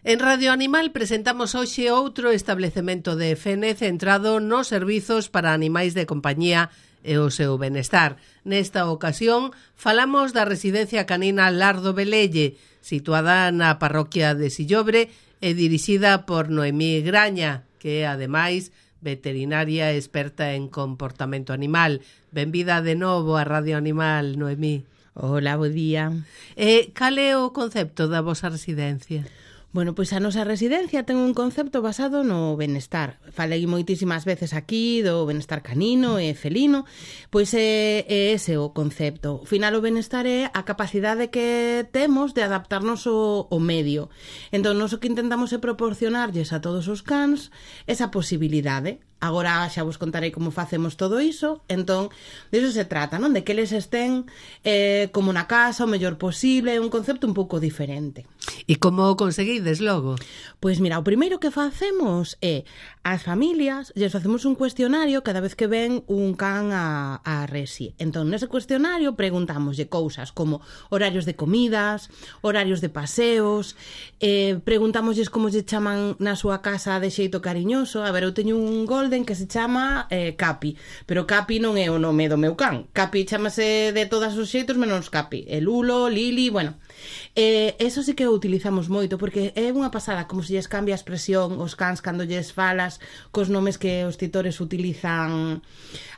En Radio Animal presentamos hoxe outro establecemento de FN centrado nos servizos para animais de compañía e o seu benestar. Nesta ocasión falamos da residencia canina Lar do Velelle, situada na parroquia de Sillobre e dirixida por Noemí Graña, que é, ademais, veterinaria experta en comportamento animal. Benvida de novo a Radio Animal, Noemí. Hola, bo día. Cal é o concepto da vosa residencia? Bueno, pois a nosa residencia ten un concepto basado no benestar. Falei moitísimas veces aquí do benestar canino e felino, pois é ese o concepto. Ao final, o benestar é a capacidade que temos de adaptarnos ao medio. Entón, nós o que intentamos é proporcionarlles a todos os cans esa posibilidade. Agora xa vos contarei como facemos todo iso. Entón, diso se trata, non? De que eles estén como na casa o mellor posible, un concepto un pouco diferente. E como o conseguides logo? Pois mira, o primeiro que facemos é as familias, lles facemos un cuestionario cada vez que ven un can a resi. Entón, nese cuestionario preguntámoslle cousas como horarios de comidas, horarios de paseos, preguntámosles como lle chaman na súa casa de xeito cariñoso. A ver, eu teño un golden que se chama Capi, pero Capi non é o nome do meu can. Capi chamase de todos os xeitos menos Capi. El Lulo, Lili, bueno. Eso sí que o utilizamos moito, porque é unha pasada como se lles cambia a expresión os cans cando lles falas cos nomes que os titores utilizan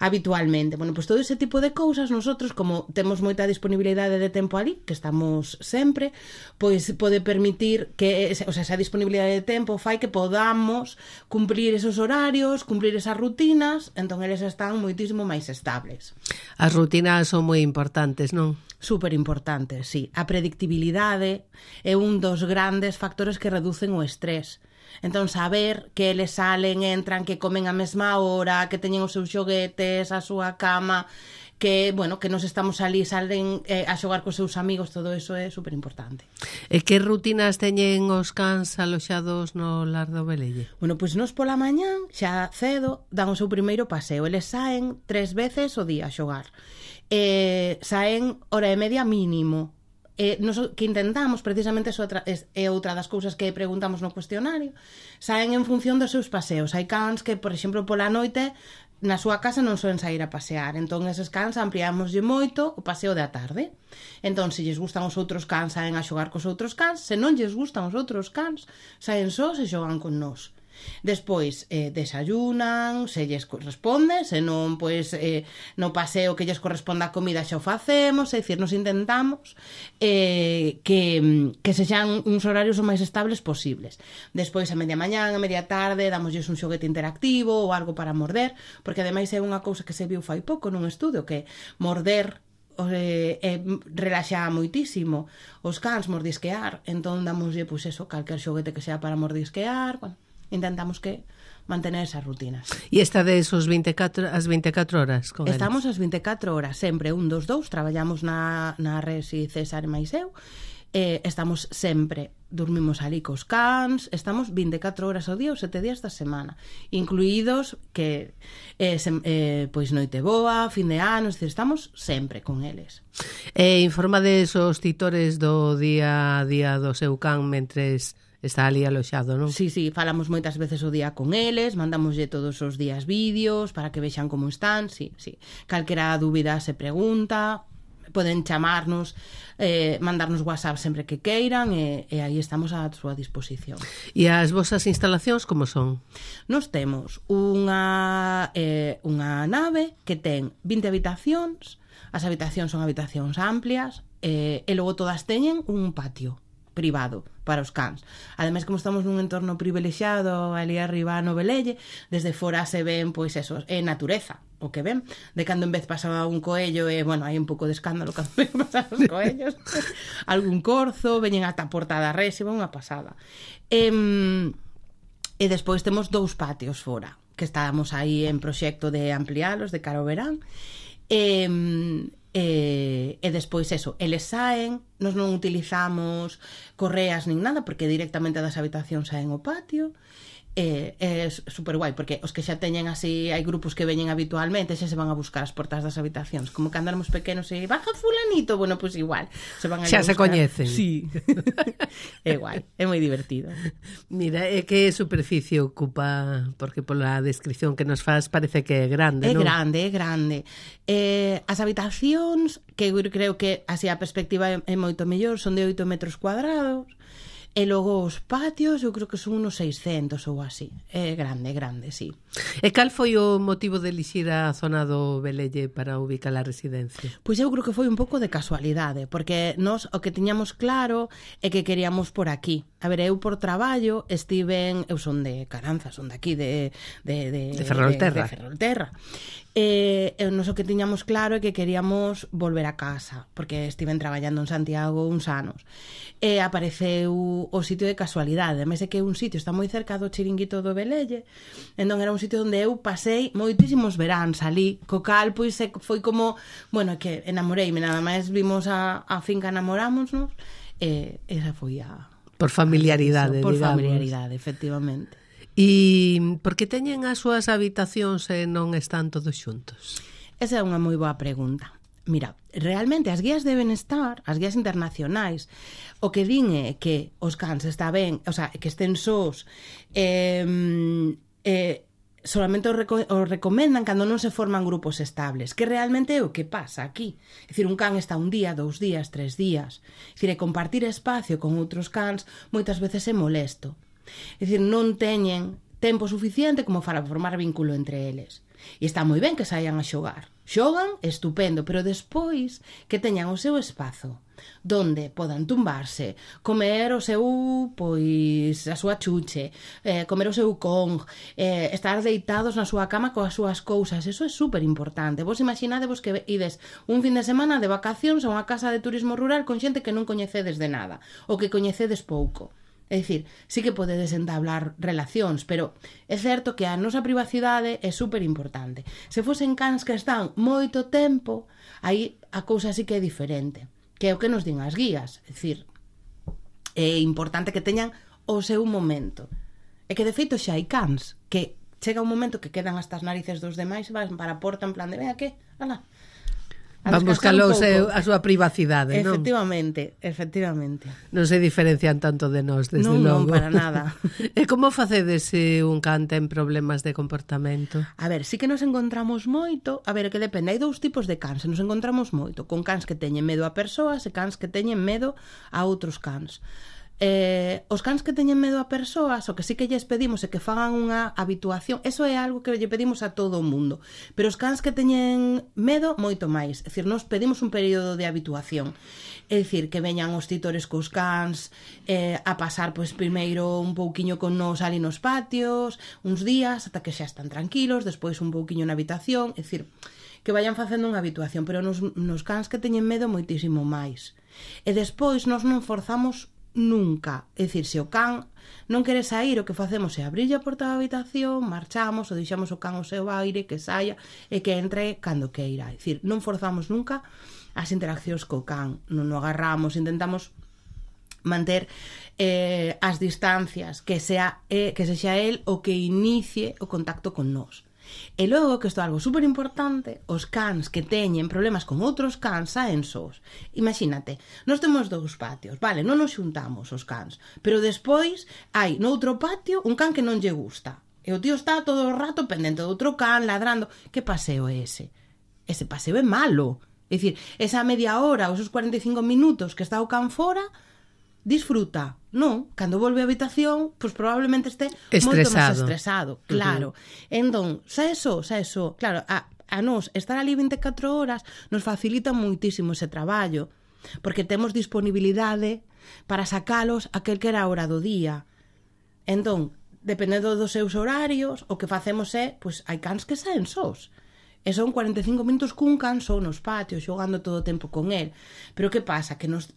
habitualmente. Bueno, pois todo ese tipo de cousas nosotros, como temos moita disponibilidade de tempo ali, que estamos sempre, pois pode permitir que, o sea, esa disponibilidade de tempo fai que podamos cumprir esos horarios, cumprir esas rutinas, entón eles están moitísimo máis estables. As rutinas son moi importantes, non? Super importante, sí. A predictibilidade é un dos grandes factores que reducen o estrés. Entón, saber que eles salen, entran, que comen a mesma hora, que teñen os seus xoguetes, a súa cama, que, bueno, que nos estamos ali, salen a xogar cos seus amigos, todo eso é super importante. E que rutinas teñen os cans aloxados no Lar do Velelle? Bueno, pois nos pola mañán, xa cedo, dan o seu primeiro paseo. Eles saen 3 veces o día a xogar. Saen hora e media mínimo. Nos que intentamos, precisamente, é outra das cousas que preguntamos no cuestionario, saen en función dos seus paseos. Hai cans que, por exemplo, pola noite na súa casa non soen sair a pasear, entón eses cans ampliámoslle moito o paseo da tarde. Entón, se lles gustan os outros cans, saen a xogar cos outros cans. Se non lles gustan os outros cans, saen só e xogan con nós. Despois desayunan, se lles corresponde, se non, pois no paseo que lles corresponde a comida xa o facemos, é dicir, nos intentamos que sexan uns horarios o máis estables posibles. Despois a media mañán, a media tarde, damosles un xoguete interactivo ou algo para morder, porque ademais é unha cousa que se viu fai pouco nun estudio, que morder relaxa moitísimo os cans, mordisquear. Entón damoslle, pois eso, calquer xoguete que sea para mordisquear. Bueno, intentamos que mantener esas rutinas. E estades as 24 horas con eles? Estamos as 24 horas, sempre un dos dous, traballamos na resi César e máis eu, estamos sempre, dormimos ali cos cans, estamos 24 horas ao día ou 7 días da semana, incluídos que pois noite boa, fin de ano, estamos sempre con eles. Informades os titores do día a día do seu can mentres está ali aloxado, non? Sí, falamos moitas veces o día con eles, mandamoslle todos os días vídeos para que vexan como están, sí. Calquera dúbida se pregunta, poden chamarnos, mandarnos WhatsApp sempre que queiran e aí estamos á súa disposición. E as vosas instalacións como son? Nos temos unha nave que ten 20 habitacións, as habitacións son habitacións amplias e logo todas teñen un patio privado para os cans. Ademais, como estamos nun entorno privilexiado ali arriba no Velelle, desde fora se ven, pois eso, é natureza o que ven. De cando en vez pasaba un coello e, bueno, hai un pouco de escándalo cando ven pasar os coellos. Algún corzo, veñen ata a porta da res, unha pasada. E despois temos 2 patios fora, que estábamos aí en proxecto de ampliálos de cara ao verán. E despois eso, eles saen Nos non utilizamos correas nin nada, porque directamente das habitacións saen ao patio. É super guai, porque os que xa teñen así, hai grupos que veñen habitualmente, xa se van a buscar as portas das habitacións, como cando éramos pequenos e baja fulanito, bueno, pois igual se van a xa se coñecen. Sí. É guai, é moi divertido. Mira, que superficie ocupa, porque pola descripción que nos faz parece que é grande, non? É grande. As habitacións, que eu creo que así a perspectiva é moito mellor, son de 8 metros cuadrados. E logo os patios, eu creo que son unos 600 ou así. É grande, sí. E cal foi o motivo de elixir a zona do Velelle para ubicar a residencia? Pois eu creo que foi un pouco de casualidade, porque nós o que tiñamos claro é que queríamos por aquí. A ver, eu por traballo estiven, eu son de Caranza, son de aquí, de Ferrolterra. De Ferrolterra. Nos o que tiñamos claro é que queríamos volver a casa, porque estiven traballando en Santiago uns anos. E apareceu o sitio de casualidade. Ademais é que un sitio está moi cerca do chiringuito do Velelle, entón era un sitio onde eu pasei moitísimos veráns ali, co cal pois foi como, bueno, que enamoreime, nada máis vimos a finca, namorámonos, e esa foi a... Por familiaridade, por digamos. familiaridade, efectivamente. E por que teñen as súas habitacións e non están todos xuntos? Esa é unha moi boa pregunta. Mira, realmente as guías de benestar, as guías internacionais, o que din é que os cans está ben, o sea, que estén sós, solamente o recomendan cando non se forman grupos estables, que realmente é o que pasa aquí. É dicir, un can está un día, 2 días, 3 días. É dicir, compartir espacio con outros cans moitas veces é molesto. É dicir, non teñen tempo suficiente como para formar vínculo entre eles. E está moi ben que saian a xogar. Xogan, estupendo, pero despois que teñan o seu espazo donde podan tumbarse, comer o seu, pois, a súa chuche, comer o seu Kong, estar deitados na súa cama coas súas cousas. Eso é super importante. Vos imaginadevos que ides un fin de semana de vacacións a unha casa de turismo rural con xente que non coñecedes de nada, ou que coñecedes pouco. É dicir, sí que podedes entablar relacións, pero é certo que a nosa privacidade é super importante. Se fosen cans que están moito tempo, aí a cousa sí que é diferente, que é o que nos din as guías. É dicir, é importante que teñan o seu momento. E que de feito xa hai cans que chega un momento que quedan hasta as narices dos demais e van para a porta en plan de ven aquí, ala. Van buscalo a súa privacidade, non? Efectivamente. Non se diferencian tanto de nós, desde logo. Non, para nada. E como facedes se un can ten problemas de comportamento? A ver, sí que nos encontramos moito, a ver, que depende, hai 2 tipos de cans, nos encontramos moito, con cans que teñen medo a persoas e cans que teñen medo a outros cans. Os cans que teñen medo a persoas, o que sí que lles pedimos é que fagan unha habituación. Eso é algo que lle pedimos a todo o mundo, pero os cans que teñen medo, moito máis. É dicir, nos pedimos un período de habituación. É dicir, que veñan os titores cos cans a pasar, pois, primeiro un pouquiño con nos ali nos patios, uns días, ata que xa están tranquilos, despois un pouquiño na habitación. É dicir, que vayan facendo unha habituación, pero nos cans que teñen medo moitísimo máis. E despois nos non forzamos nunca. É dicir, se o can non quere sair, o que facemos é abrir a porta da habitación, marchamos ou deixamos o can ao seu aire, que saia e que entre cando queira. É dicir, non forzamos nunca as interaccións co can, non o agarramos, intentamos manter as distancias, que sexa el o que inicie o contacto con nós. E logo, que isto é algo super importante, os cans que teñen problemas con outros cans saen sós. Imagínate, nós temos 2 patios, vale, non nos xuntamos os cans, pero despois hai noutro patio un can que non lle gusta, e o tío está todo o rato pendente do outro can, ladrando. Que paseo é ese? Ese paseo é malo. É dicir, esa media hora, ou esos 45 minutos que está o can fora, disfruta. Non, cando volve á habitación, pois probablemente este moito máis estresado, claro. Entón, xa eso, claro, a nós estar ali 24 horas nos facilita moitísimo ese traballo, porque temos disponibilidade para sacalos aquel que era a hora do día. Entón, dependendo dos seus horarios, o que facemos é, pois hai cans que saen sós. E son 45 minutos cun can só nos patios, xogando todo o tempo con el. Pero que pasa? Que nos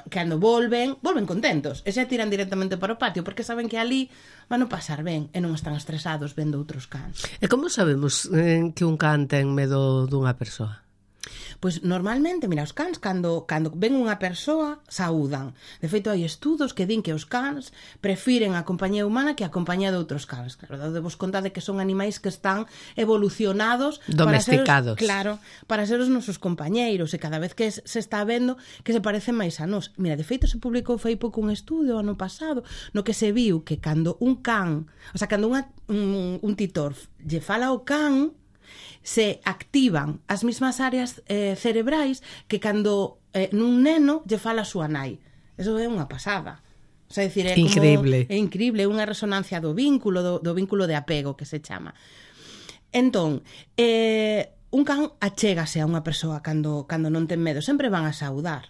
cando volven contentos e xa tiran directamente para o patio, porque saben que ali van a pasar ben e non están estresados vendo outros cans. E como sabemos que un can ten medo dunha persoa? Pois normalmente, mira, os cans cando ven unha persoa, saúdan. De feito, hai estudos que din que os cans prefiren a compañía humana que a compañía de outros cans. Claro, debos contar de que son animais que están evolucionados domesticados. Para ser os nosos compañeiros, e cada vez que se está vendo que se parecen máis a nós. Mira, de feito, se publicou fai pouco un estudio ano pasado no que se viu que cando un can, o sea, cando un titor lle fala ao can, se activan as mesmas áreas cerebrais que cando nun neno lle fala a súa nai. Eso é unha pasada. O sea, decir, é increíble. É increíble, é unha resonancia do vínculo, do vínculo de apego que se chama. Entón, un can achégase a unha persoa cando non ten medo, sempre van a saudar.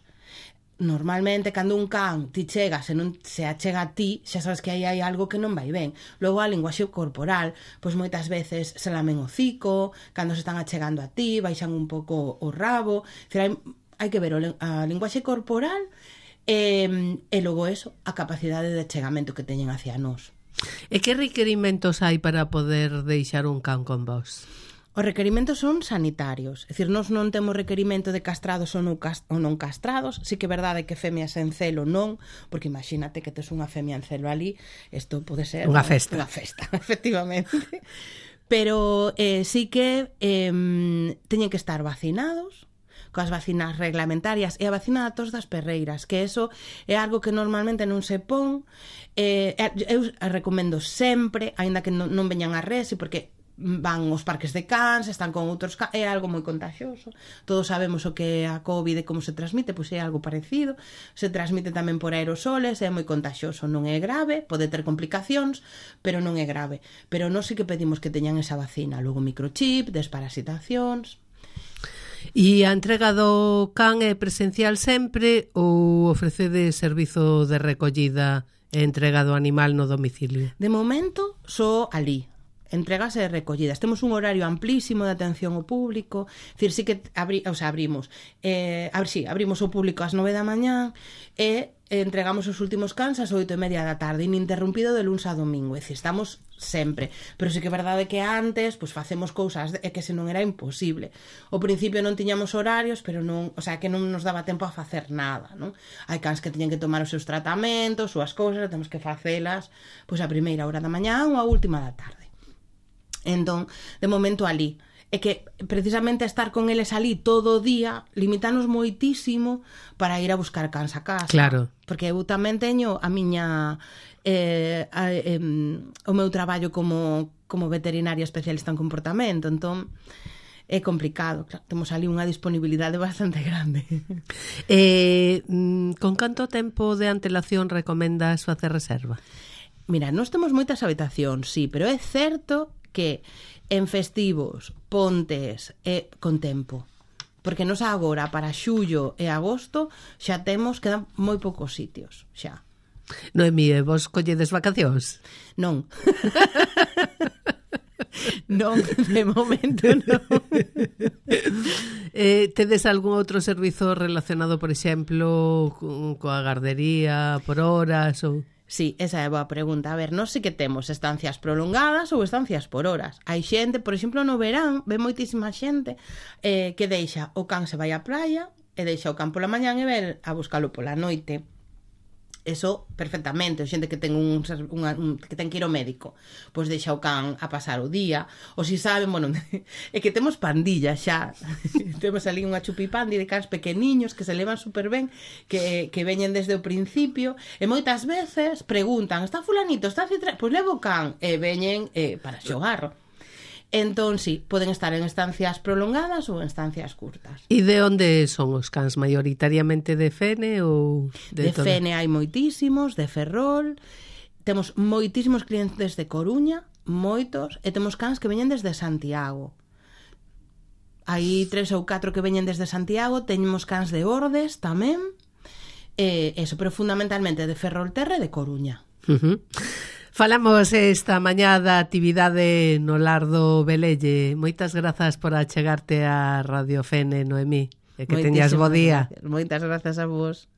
Normalmente, cando un can ti chegas e non se achega a ti, xa sabes que aí hai algo que non vai ben. Logo, a linguaxe corporal, pois moitas veces se lamen o hocico, cando se están achegando a ti, baixan un pouco o rabo. Hai que ver a linguaxe corporal e logo eso, a capacidade de achegamento que teñen hacia nós. E que requerimentos hai para poder deixar un can con vos? Os requerimentos son sanitarios, é dicir, nós non temos requerimento de castrados ou non castrados, sí que é verdade que femias en celo non, porque imagínate que tes unha femia en celo ali, isto pode ser unha festa, efectivamente. Pero sí que teñen que estar vacinados, coas vacinas reglamentarias e a vacina da tos das perreiras, que eso é algo que normalmente non se pon. Eu recomendo sempre, aínda que non veñan a resi, porque van aos parques de cans, están con outros cans, é algo moi contagioso. Todos sabemos o que é a COVID e como se transmite, pois é algo parecido. Se transmite tamén por aerosoles, é moi contagioso, non é grave, pode ter complicacións, pero non é grave. Pero nós sí que pedimos que teñan esa vacina, logo microchip, desparasitacións. E a entrega do can é presencial sempre ou ofrecede servizo de recollida e entrega do animal no domicilio? De momento, só ali. Entregas e recollidas. Temos un horario amplísimo de atención ao público, dicir, sí que abrimos o público ás 9 da mañá e entregamos os últimos cans ás 8:30 da tarde, ininterrumpido de luns a domingo, é dicir, estamos sempre, pero sí que é verdade que antes pois facemos cousas que senón era imposible. Ao principio non tiñamos horarios, pero non, o sea, que non nos daba tempo a facer nada, non? Hai cans que teñen que tomar os seus tratamentos, súas cousas, temos que facelas pois a primeira hora da mañá ou a última da tarde. Entón, de momento ali. É que precisamente estar con eles ali todo o día limitanos moitísimo para ir a buscar cans a casa. Claro. Porque eu tamén teño a miña o meu traballo como veterinaria especialista en comportamento, entón é complicado, claro, temos ali unha disponibilidade bastante grande. Con canto tempo de antelación recomendas facer reserva? Mira, nós temos moitas habitacións, sí, pero é certo que en festivos, pontes e con tempo, porque nos agora para xullo e agosto xa quedan moi poucos sitios xa. Noemí, vos colledes vacacións? Non. Non, de momento non. Tedes algún outro servizo relacionado, por exemplo, coa gardería por horas ou... Sí, esa é a boa pregunta. A ver, nós sí que temos estancias prolongadas ou estancias por horas. Hai xente, por exemplo, no verán, ve moitísima xente que deixa o can se vai á praia e deixa o can pola mañán e ven a buscalo pola noite. Eso perfectamente, xente que ten que ten que ir ao médico, pois deixa o can a pasar o día, ou si saben, bueno, é que temos pandilla xa. Temos ali unha chupipandi de cans pequeniños que se levan super ben, que veñen desde o principio, e moitas veces preguntan, está fulanito, está citra, pois levo o can, e veñen para xogar. Entón, sí, poden estar en estancias prolongadas ou en estancias curtas. E de onde son os cans? Maioritariamente de Fene ou de Fene hai moitísimos, de Ferrol. Temos moitísimos clientes de Coruña, moitos, e temos cans que veñen desde Santiago. Hai 3 ou 4 que veñen desde Santiago, teñemos cans de Ordes tamén, eso, pero fundamentalmente de Ferrolterra e de Coruña. Falamos esta mañá da actividade no Lar do Velelle. Moitas grazas por achegarte a Radio Fene, Noemí, e que teñas bo día. Moitas grazas a vos.